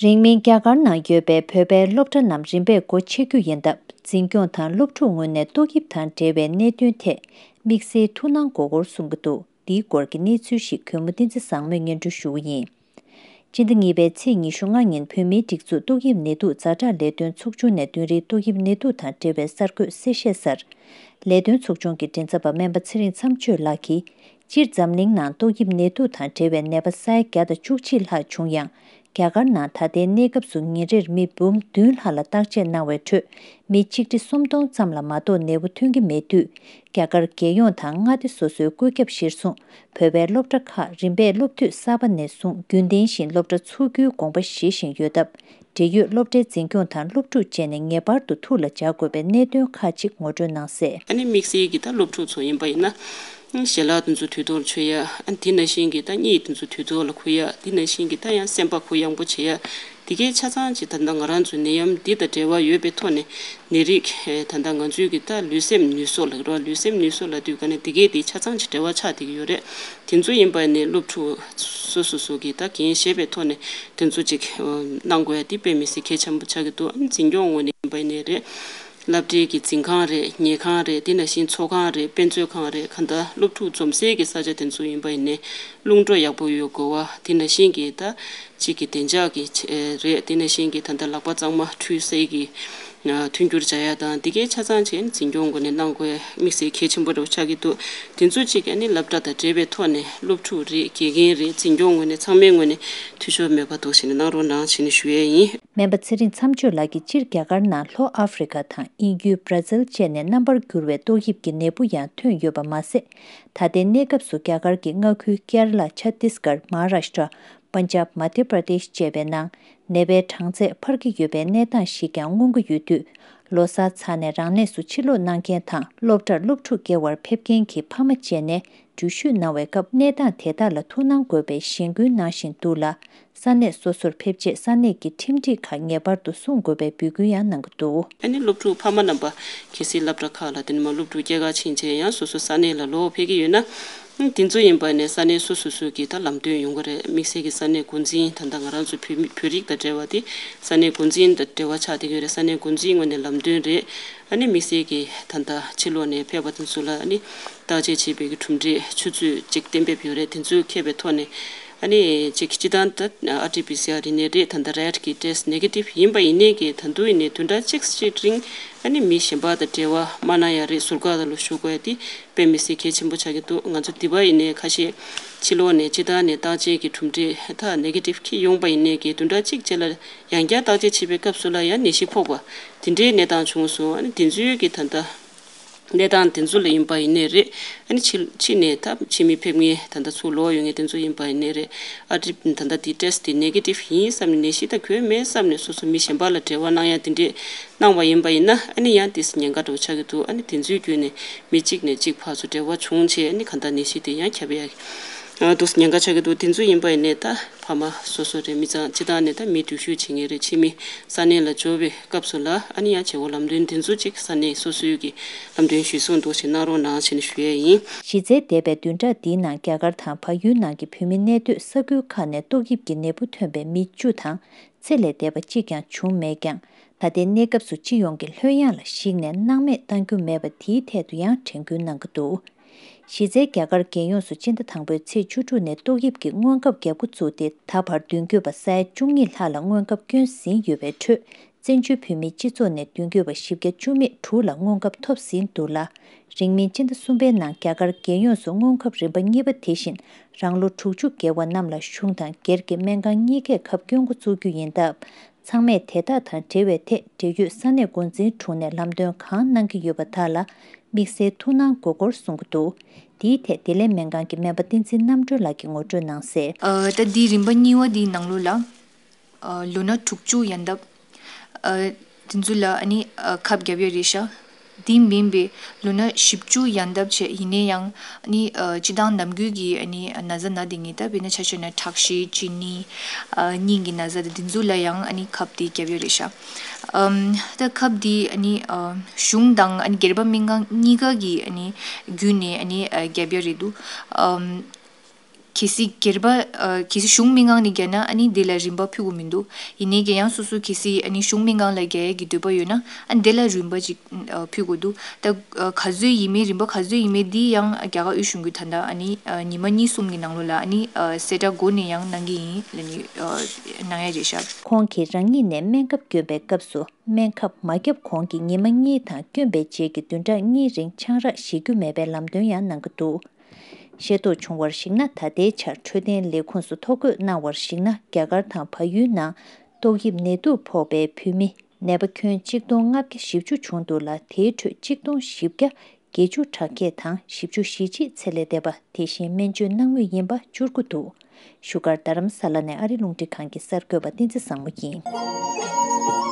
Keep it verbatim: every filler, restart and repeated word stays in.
རིང་མིན་རྒྱ་གར་ནང་ཡོད་པའི་བོད་པའི་སློབ་གྲྭ་རྣམས་རིམ་པས་སྒོ་ཕྱེ་རྒྱུ་ཡིན་སྟབས། འཛིན་སྐྱོང་དང་སློབ་ཕྲུག་ངོས་ནས་ཏོག་དབྱིབས་དང་འབྲེལ་བའི་གནད་དོན་ཐད་དམིགས་བསལ་ཐུགས་སྣང་དགོས་སྐོར་གསུང་གི་འདུག་འདིའི་སྐོར་གྱི་གནས་ཚུལ་ཞིག་གུས་མོ་བསྟན་འཛིན་བཟང་མོས་སྙན་སྒྲོན་ཞུ་གི་ཡིན། སྤྱི་ཟླ་གཉིས་པའི་ཚེས་ཉི་ཤུ་ལྔ་ཉིན་བོད་མིའི་སྒྲིག་འཛུགས་ཏོག་དབྱིབས་ནད་དུག་ཛ་དྲག་ལས་དོན་ཚོགས་ཆུང་ནས་བདུན་རིགས་ཏོག་དབྱིབས་ནད་དུག་དང་འབྲེལ་བའི་གསར་འགོད་གསལ་བཤད་གསར། ལས་དོན་ཚོགས་ཆུང་གི་མགྲིན་ཚབ་པ་སྨན་པ་ཚེ་རིང་མཚམས་གཅོད་ལགས་ཀྱིས། སྤྱིར་འཛམ་གླིང་ནང་ཏོག་དབྱིབས་ནད་དུག་དང་འབྲེལ་བའི་ནད་པ་ས་ཡ་བརྒྱ་དང་བཅུ་གཅིག་ལྷག་བྱུང་ཡང་། རྒྱ་གར་ནང་ད་ལྟའི་གནས་སྐབས་སུ་ཉིན་རེར་མི་འབུམ་བདུན་ལྷག་ལ་བརྟག་དཔྱད་གནང་བའི་ཁྲོད་མི་ཆིག་ཁྲི་སུམ་སྟོང་ཙམ་ལ་མ་གཏོགས་ནད་འབུ་ཐོན་གྱི་མེད་དུས། རྒྱ་གར་རྒྱལ་ཡོངས་དང་མངའ་སྡེ་སོ་སོའི་བཀོད་ཁྱབ་གཞིར་བཟུང་བོད་པའི་སློབ་གྲྭ་ཁག་རིམ་པས་སློབ་དུས་གསར་པ་ནས་བཟུང་རྒྱུན་ལྡན་བཞིན་སློབ་གྲྭ་ཚུགས་རྒྱུའི་དགོངས་པ་བཞེས་བཞིན་ཡོད་སྟབས། འབྲེལ་ཡོད་སློབ་གྲྭའི་འཛིན་སྐྱོང་དང་སློབ་ཕྲུག་བཅས་ནས་ངེས་པར་དུ་ཐུགས་ལ་འཇགས་དགོས་པའི་གནད་དོན་ཁག་ཅིག་ངོ་སྤྲོད་གནང་གསལ། ཨ་ནི་དམིགས་བསལ་གྱི་ད་སློབ་ཕྲུག་ཚོ་ཡིན་པ་ཡིན་ན། ཞལ་ལག་དེ་ཚོ་དུས་ཐོག་ལ་མཆོད་ཡ། ཨ་དེ་ནང་བཞིན་གྱི་ད་གཉིད་དེ་ཚོ་དུས་ཐོག་ལ་ཁུག་ཡ། དེ་ནང་བཞིན་གྱི་ད་ཡང་སེམས་པ་གུ་ཡངས་པོ་བྱེད་ཡ། དེ་གའི་ཆ་ཚང་ཅིག་ད་ལྟ་ང་རང་ཚོའི་ནད་ཡམས་འདི་དང་འབྲེལ་བ་ཡོད་པའི་ཐོག་ནས་ནད་རིགས་ད་ལྟ་ང་ཚོའི་གི་ད་ལུས་སེམས་ནུས་གསོ་ལ་རོ། ལུས་སེམས་ནུས་གསོ་ལ་དུས་ག་ནས་དེ་གའི་དེ་ཆ་ཚང་ཅིག་འབྲེལ་བ་ཆགས་བསྡད་ཀྱི་ཡོད་རེད། དེ་ཚོ་ཡིན་པ་ནས་སློབ་ཕྲུག་སོ་སོ་སོ་གི་ད་འགན་བཞེས་པའི་ཐོག་ནས་དེ་ཚོ་ཅིག་གནང་དགོས་ཡ་དེ་དཔེ་མི་སྲིད་གལ་ཆེན་པོ་ཆགས་ཀྱི་འདུག་ཨ་ནི་འཛིན་སྐྱོང་ངོས་ནས་ཡིན་པ་ནས་རེད། སློབ་གྲྭའི་གི་འཛིན་ཁང་རེད། ཉལ་ཁང་རེད། དེ་ནང་བཞིན་ཚོགས་ཁང་རེད། དཔེ་མཛོད་ཁང་རེད། གང་ལྟར་སློབ་ཕྲུག་འཛོམས་སའི་གི་ས་ཆ་དེ་ཚོ་ཡིན་པ་ཡིན་ནའི་རླུང་འགྲོ་ཡག་པོ་ཡོད་དགོས་པ། དེ་ནང་བཞིན་གྱི་ད་གཅིག་གི་བདེ་འཇགས་ཀྱི་ཆེད་རེད། དེ་ནང་བཞིན་གྱི་ད་ལྟ་ལག་པ་གཙང་མ་འཁྲུད་སའི་གི་མཐུན་འགྱུར་བྱ་ཡ་དང་། དེ་གའི་ཆ་ཚང་བྱས་ནས་འཛིན་སྐྱོང་སྒོ་ནས་གནང་དགོས་དམིགས་བསལ་གལ་ཆེན་པོ་རེད་ཆགས་ཀྱི་འདུག་དེ་ཚོ་གཅིག་ཨ་ནི་སློབ་གྲྭ་དང་འབྲེལ་བའི་ཐོག་ནས་སློབ་ཕྲུག་རེད། དགེ་རྒན་རེད། འཛིན་སྐྱོང་ངོས་ནས་ཚང་མའི་ངོས་ནས་འཐུས་ཤོར་མེད་པ་འདུག་བྱས་ནས་གནང་རོགས་གནང་བྱས་ནས་ཞུ་ཡས་ཡིན། སྨན་པ་ཚེ་རིང་མཚམས་གཅོད་ལགས་ཀྱིས་སྤྱིར་རྒྱ་གར་ནང་ལྷོ་ཨ་ཧྥེ་རི་ཁ་དང་དབྱིན་ཡུལ་བྷ་ར་ཛིལ་བཅས་ནས་རྣམ་པར་འགྱུར་བའི་ཏོག་དབྱིབས་ཀྱི་ནད་འབུ་ཡང་ཐོན་ཡོད་པ་མ་ཟད། ད་ལྟའི་གནས་སྐབས་སུ་རྒྱ་གར་གྱི་མངའ་ཁུལ་ཀེ་ར་ལ། ཆ་ཏིས་གར། མ་ཧ་ར་ཤྟྲ། པན་ཇབ། མ་དྷྱ་པྲ་དེཤ་བཅས་པའི་ནང་ནད་པའི་གྲངས་ཚད་འཕར་གྱི་ཡོད་པའི་གནས་སྟངས་ཤིག་ཀྱང་མངོན་གྱི་ཡོད་དུས། ལོ་གསར་ཚར་ནས་རང་གནས་སུ་ཕྱིར་ལོག་གནང་མཁན་དང་སློབ་གྲྭར་སློབ་ཕྲུག་སྐྱེལ་བར་ཕེབས་མཁན་གྱི་ཕ་མ་བཅས་ནས་འགྲུལ་བཞུད་གནང་བའི་སྐབས་གནས་སྟངས་དེ་དག་ལ་ཐུགས་སྣང་དགོས་པའི་གཞེན་སྐུལ་གནང་བཞིན་འདུག་ལ། ས་གནས་སོ་སོར་ཕེབས་རྗེས་ས་གནས་ཀྱི་ཁྲིམས་སྒྲིག་ཁག་ངེས་པར་དུ་སྲུང་དགོས་པའི་འབོད་སྐུལ་ཡང་གནང་གི་འདུག་ཨ་ནི་སློབ་ཕྲུག་ཕ་མ་རྣམ་པ་གལ་སྲིད་སློབ་གྲྭ་ཁག་ལ་དེ་ནས་མ་སློབ་ཕྲུག་སྐྱེལ་ག་ཕྱིན་རྗེས་ཡང་སོ་སོ་ས་གནས་ལ་ལོག་ཕེབས་ཀྱི་ཡོད་ན། ཨ་དེ་ཚོ་ཡིན་པ་ནས་ས་གནས་སོ་སོ་སོ་གི་ད་ལམ་སྟོན་ཡོང་གི་རེད། དམིགས་བསལ་གྱི་ས་གནས་འགོ་འཛིན་ད་ལྟ་ང་རང་ཚོ་བོད་མི་བོད་རིགས་དང་འབྲེལ་བ་དེ་ས་གནས་འགོ་འཛིན་དང་འབྲེལ་བ་ཆགས་བསྡད་ཀྱི་ཡོད་རེད། ས་གནས་འགོ་འཛིན་ངོས་ནས་ལམ་སྟོན་རེད། ཨ་ནི་དམིགས་བསལ་གྱི་ད་ལྟ་ཕྱི་ལོགས་ནས་ཕེབས་པ་དེ་ཚོ་ལ་ཨ་ནི་བརྟག་དཔྱད་བྱེད་པའི་གི་ཁྲིམས་སྒྲིག་ཆུ་ཚོད་ཅིག་གཏན་འབེབས་ཡོད་རེད། དེ་ཚོས་འཁེལ་བའི་ཐོག་ནས་ཨ་ནི་ཅིག་སྤྱི་བཏང་ད་ཨར་ཊི་པི་སི་ཨར་ཡིན་ནའི་རེད། ད་ལྟ་རེད་ཀྱི་ཊེ་སི་ཊི་ནེ་གེ་ཊིབ་ཡིན་པ་ཡིན་ནའི་གི་ད་དུང་ཡིན་ནའི་བདུན་ཕྲག་གཅིག་ཅིག་རིང་ཨ་ནི་མི་གཞན་པ་དང་འབྲེལ་བ་མ་གནང་ཡ་རེད། ཟུར་བཀག་ལ་ལོ་ཞུ་དགོས་ཡ་དེ་དཔེ་མི་སྲིད་གལ་ཆེན་པོ་ཆགས་ཀྱི་འདུག་ང་ཚོ་འདི་པ་ཡིན་ནའི་ཁ་ཤས་ཕྱི་ལོགས་ནས་སྤྱི་བཏང་ནས་བརྟག་དཔྱད་ཀྱི་གྲུབ་འབྲས་ད་ནེ་གེ་ཊིབ་འཁྱེར་ཡོང་པ་ཡིན་ནའི་གི་བདུན་ཕྲག་གཅིག་རྗེས་ལ་ཡང་བསྐྱར་བརྟག་དཔྱད་བྱེད་པའི་སྐབས་སུ་ལ་ཡང་ནད་གཞི་ཕོག་པ་དེ་འདྲའི་གནས་སྟངས་བྱུང་སོང་། ཨ་ནི་དེ་ཚོའི་གི་ད་ལྟ་གནས་སྟངས་དེ་ཚོ་ལ་ཡིན་པ་ཡིན་ནའི་རེད། ཨ་ནི་ཕྱི་ཕྱི་ནས་ད་ཕྱི་མི་ཕེབས་མཁན་ད་ལྟ་ཚུར་ལོག་ཡོང་མཁན་དེ་ཚོ་ཡིན་པ་ཡིན་ནའི་རེད། ཨ་ཊི་ད་ལྟ་དེ་ཊེ་སི་ཊི་དེ་ནེ་གེ་ཊིབ་ཡིན་བསམ་ནས་ནད་གཞི་ད་གོ་མེད་བསམ་ནས་སོ་སོ་མི་གཞན་པ་ལ་འབྲེལ་བ་གནང་ཡ་དེ་འདྲས་གནང་བ་ཡིན་པ་ཡིན་ན། ཨ་ནི་ཡང་དེ་ཉེན་ཁ་འདྲ་བོ་ཆགས་ཀྱི་འདུག་ཨ་ནི་དེ་ཚོའི་བརྒྱུད་ནས་མི་གཅིག་ནས་གཅིག་ཕར་ཚུར་འབྲེལ་བ་བྱུང་བྱས་ཨ་ནི་གང་ལྟར་ནད་གཞི་དེ་ཡང་ཁྱབ་ཡ་འདུག་ཉེན་ཁ་ཆགས་ཀྱི་འདུག་དེ་ཚོ་ཡིན་པ་ཡིན་ནའི་ད་ཕ་མ་སོ་སོ་རེད། མི་ཚང་སྤྱི་བཏང་ནས་ད་མི་འགྲུལ་བཞུད་བྱེད་མཁན་རེད། ཕྱི་མི་ས་གནས་ལ་འབྱོར་བའི་སྐབས་སུ་ལ་ཨ་ནི་ཡང་བྱེད་སྒོ་ལམ་སྟོན་དེ་ཚོ་ཅིག་ས་གནས་སོ་སོའི་གི་ལམ་སྟོན་གཞིར་བཟུང་འདུག་ཞེས་གནང་རོགས་གནང་ཞེས་ནས་ཞུ་ཡས་ཡིན། གཞི་རྩའི་འདས་པའི་བདུན་ཕྲག་འདིའི་ནང་རྒྱ་གར་དང་བལ་ཡུལ་ནང་གི་བོད་མི་གནས་སྡོད་ས་ཁུལ་ཁག་ནས་ཏོག་དབྱིབས་ཀྱི་ནད་འབུ་ཐོན་པའི་མི་བཅུ་དང་ཚེ་ལས་འདས་པ་གཅིག་ཀྱང་བྱུང་མེད་ཀྱང་། ད་ལྟའི་གནས་སྐབས་སུ་སྤྱི་ཡོངས་ཀྱི་ལྷོད་ཡངས་ལ་གཞིགས་ནས་སྣང་མེད་གཏང་རྒྱུ་མེད་པ་དེའི་ཐད་དུ་ཡང་དྲན་སྐུལ་གནང་གི་འདུག་གཞི་རྩའི་རྒྱ་གར་རྒྱལ་ཡོངས་སུ་སྤྱི་ཟླ་དང་པོའི་ཚེས་བཅུ་དྲུག་ནས་ཏོག་དབྱིབས་ཀྱི་སྔོན་ཁབ་བརྒྱབ་འགོ་བཙུགས་ཏེ་ད་བར་མདུན་སྐྱོད་པ་ས་ཡ་བཅུ་གཉིས་ལྷག་ལ་སྔོན་ཁབ་བསྐྱོན་ཟིན་ཡོད་པའི་ཁྲོད། བཙན་བྱོལ་བོད་མིའི་སྤྱི་ཚོགས་ནས་མདུན་སྐྱོད་པ་བཞི་བརྒྱ་བཅུ་མེད་དྲུག་ལ་སྔོན་ཁབ་ཐོབ་ཟིན་འདུག་ལ། རིང་མིན་སྤྱི་ཟླ་གསུམ་པའི་ནང་རྒྱ་གར་རྒྱལ་ཡོངས་སུ་སྔོན་ཁབ་རིམ་པ་གཉིས་པ་དེ་བཞིན་རང་ལོ་དྲུག་ཅུ་བརྒལ་བ་རྣམས་ལ་གཞུང་དང་སྒེར་གྱི་སྨན་ཁང་གཉིས་ཀས་ཁབ་སྐྱོན་འགོ་བཙུགས་རྒྱུ་ཡིན་སྟབས། ཚང་མས་དེ་དག་དང་འབྲེལ་བའི་ཐད་འབྲེལ་ཡོད་ས་གནས་འགོ་འཛིན་དྲུང་ནས་ལམ་སྟོན་གང་གནང་གི་ཡོད་པ་དག་ལ་དམིགས་བསལ་ཐུགས་སྣང་དགོས་སྐོར་གསུང་གི་འདུག་འདིའི་ཐད་བདེ་ལེགས་སྨན་ཁང་གི་སྨན་པ་བསྟན་འཛིན་རྣམ་གྲོལ་ལགས་ཀྱིས་ངོ་སྤྲོད་གནང་གསལ། ཨ་ད་འདི་རིམ་པ་གཉིས་པ་འདིའི་ནང་ལོགས་ལ་ཨ་ལོ་ན་དྲུག་ཅུ་ཡན་འདབ་ཨ་དེ་ཚོ་ལ་ཨ་ནི་ཨ་ཁབ་བརྒྱབ་ཡོད་རེད་ཤག་དེ་མིན་པའི་ལོ་ན་བཞི་བཅུ་ཡན་འདབ་བྱས་ཡིན་ན་ཡང་ཨ་ནི་ཨ་སྤྱི་བཏང་ནམ་རྒྱུན་གྱི་ཨ་ནི་ན་ཚ་ན་བསྡད་མཁན་ད་དཔེར་ན་ཆ་བཞག་ན་ཁྲག་ཤེད་གཅིན་སྙི་ཨ་སྙིང་གི་ན་ཚ་དང་དེ་ཚོ་ལ་ཡང་ཨ་ནི་ཁབ་དེ་བརྒྱབ་ཡོད་རེད་ཤག་ཨམ་ད་ཁབ་དེ་ཨ་ནི་ཨ་གཞུང་དང་ཨ་ནི་སྒེར་པ་སྨན་ཁང་གཉིས་ཀ་གི་ཨ་ནི་བརྒྱུད་ནས་ཨ་ནི་ཨ་བརྒྱབ་ཡོད་རེད་འདུག་ཨམ། གལ་སྲིད་སྒེར་པ་ཨ་གལ་སྲིད་གཞུང་མི་འགང་ནས་བརྒྱབ་ན་ཨ་ནི་དེ་ལ་རིན་པ་ཕུལ་དགོས་མི་འདུག་ཡིན་ནའི་གི་ཡང་སོ་སོ་གལ་སྲིད་ཨ་ནི་གཞུང་མི་འགང་ལ་བརྒྱབ་ཡས་ཀྱི་འདོད་པ་ཡོད་ན་ཨ་ནི་དེ་ལ་རིན་པ་ཅིག་ཨ་ཕུལ་དགོས་འདུག་ད་ཨ་ག་ཚོད་ཡིན་མིན་རིན་པ་ག་ཚོད་ཡིན་མིན་འདི་ཡང་རྒྱ་གར་དབུས་གཞུང་གིས་ད་ལྟ་ཨ་ནི་ཨ་ཉི་མ་གཉིས་གསུམ་གྱི་ནང་ལོགས་ལ་ཨ་ནི་ཨ་གསལ་བསྒྲགས་འགོ་ནས་ཡང་གནང་གི་ཡིན་ལབ་ནས་ཨ་གནང་ཡ་རེད་ཤག་ཁོང་གིས་རང་ཉིད་ནས་སྨན་ཁབ་བསྐྱོན་པའི་སྐབས་སུ། སྨན་ཁབ་མ་བརྒྱབ་གོང་གི་ཉི་མ་གཉིས་དང་བསྐྱོན་པའི་རྗེས་ཀྱི་བདུན་ཕྲག་གཉིས་རིང་ཆང་རག་བཞེས་རྒྱུ་མེད་པའི་ལམ་སྟོན་ཡང་གནང་གི་འདུག་ཤེས་རྟོགས་བྱུང་བར་གཞིགས་ན། ད་ལྟའི་ཆར་འཕྲོད་བསྟེན་ལས་ཁུངས་སུ་ཐོ་འགོད་གནང་བར་གཞིགས་ན། རྒྱ་གར་དང་བལ་ཡུལ་ནང་ཏོག་དབྱིབས་ནད་དུག་ཕོག་པའི་བུད་མེད་ནད་པ་ཁྱོན་གཅིག་སྟོང་ལྔ་བརྒྱ་བཞི་བཅུ་བྱུང་འདུག་ལ། དེའི་ཁྲོད་གཅིག་སྟོང་བཞི་བརྒྱ་བརྒྱད་ཅུ་གྲངས་ཁྱེར་དང་བཞི་བཅུ་ཞེ་གཅིག་ཚེ་ལས་འདས་པ་དེ་བཞིན་སྨན་བཅོས་གནང་མུས་ཡིན་པ་བཅུ་དགུ་འདུག་བཞུགས་སྒར་རྡ་རམ་ས་ལ་ནས་ཨ་རི་རླུང་འཕྲིན་ཁང་གི་གསར་འགོད་པ་བསྟན་འཛིན་བཟང་མོ་ཡིན།